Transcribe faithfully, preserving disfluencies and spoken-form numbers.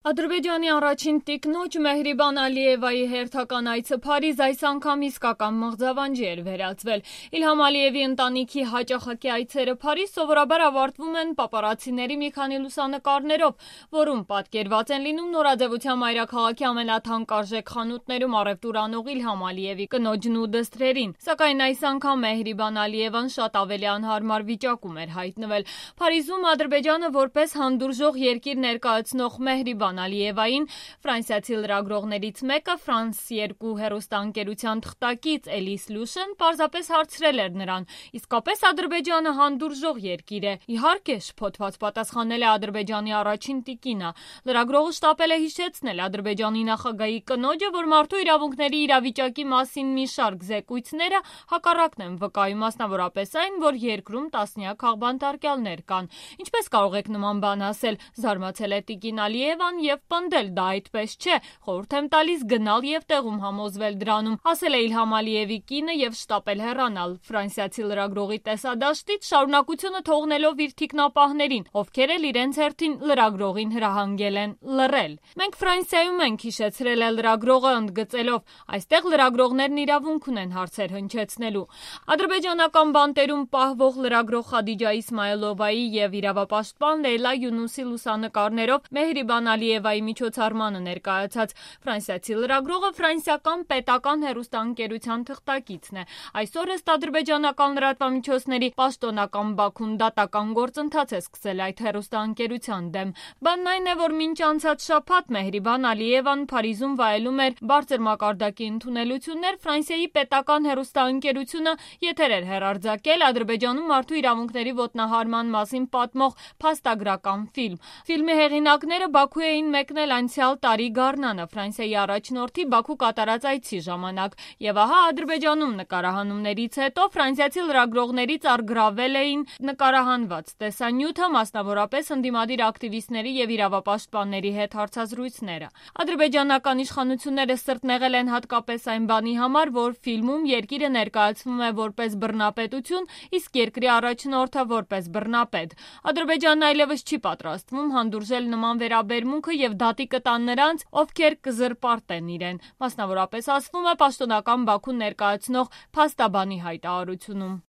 Ադրբեջանի առաջին տիկնոջ Մեհրիբան Ալիևայի հերթական այցը Փարիզ այս անգամ իսկական մղձավանջի էր վերածվել։ Իլհամ Ալիևի ընտանիքի հաճախակի այցերը Փարիզ սովորաբար ավարտվում են պապարացիների մի քանի լուսանկարներով, որում պատկերված են լինում նորաձևության մայրաքաղաքի ամենաթանկարժեք խանութներում առևտուր անող Իլհամ Ալիևի կնոջն ու դստրերին։ Սակայն այս անգամ Մեհրիբան Ալիևան շատ ավելի անհարմար վիճակում էր հայտնվել։ Փարիզում Ադրբեջանը որպես հանդուրժող երկիր ներկայացնող Մեհրիբան Ալիևային ֆրանսիացի լրագրողներից մեկը Ֆրանս երկու հեռուստաընկերության թղթակից Էլիս Լուշեն պարզապես հարցրել էր նրան. իսկապես Ադրբեջանը հանդուրժող երկիր է։ Իհարկե, շփոթված պատասխանել է Ադրբեջանի առաջին տիկինը։ Լրագրողը շտապել է հիշեցնել Ադրբեջանի նախագահի կնոջը, որ մարդու իրավունքների իրավիճակի մասին մի շարք զեկույցները հակառակն են վկայում, մասնավորապես այն, որ երկրում տասնյակ աղբանտարկյալներ կան։ Ինչպես կարող եք նման բան ասել, զարմացել է տիկին Ալիևան եւ պնդել, դա այդպես չէ, խորհուրդ եմ տալիս գնալ եւ տեղում համոզվել դրանում, ասել է Իլհամ Ալիևի կինը եւ շտապել հեռանալ։ Ֆրանսիացի լրագրողի տեսադաշտից շարունակությունը թողնելով իր թիկնապահներին, ովքեր էլ իրենց հերթին լրագրողին հրահանգել են լռել։ Մենք Ֆրանսիայում ենք, հիշեցրել է լրագրողը, ընդգծելով, այստեղ լրագրողներն իրավունք ունեն հարցեր հնչեցնելու։ Ադրբեջանական բանտերում պահվող լրագրող Խադիջա Իսմայելովայի եւ իրավապաշտպան Լեյլա Յունուսի լուսանկարներով Մեհրիբան Ալիևայի միջոցառմանը ներկայացած ֆրանսիացի լրագրողը ֆրանսիական պետական հեռուստաընկերության թղթակիցն է։ Այսօր ըստ ադրբեջանական լրատվամիջոցների պաշտոնական Բաքուն դատական գործընթաց է սկսել այդ հեռուստաընկերության դեմ։ Բանն այն է, որ մինչ անցած շաբաթ Մեհրիբան Ալիևան Փարիզում վայելում էր բարձր մակարդակի ընդունելություններ, Ֆրանսիայի պետական հեռուստաընկերությունը եթեր էր հեռարձակել Ադրբեջանում մարդու իրավունքների ոտնահարման մասին պատմող փաստագրական ֆիլմ։ Ֆիլմի հեղինակները Բաքու էին մեկնել անցյալ տարի գարնանը Ֆրանսիայի առաջնորդի Բաքու կատարած այցի ժամանակ, եւ ահա Ադրբեջանում նկարահանումներից հետո ֆրանսիացի լրագրողներից առգրավել էին նկարահանված տեսանյութը, մասնավորապես ընդդիմադիր ակտիվիստների եւ իրավապաշտպանների հետ հարցազրույցները։ Ադրբեջանական իշխանությունները սրտնեղել են հատկապես այն բանի համար, որ ֆիլմում երկիրը ներկայացվում է որպես բռնապետություն, իսկ երկրի առաջնորդը որպես բռնապետ։ Ադրբեջանն այլևս չի պատրաստվում հանդուրժել նման վերաբերմունքը եւ դատի կտան նրանց, ովքեր կզրպարտեն իրեն, մասնավորապես ասվում է պաշտոնական Բաքուն ներկայացնող փաստաբանի հայտարարությունում։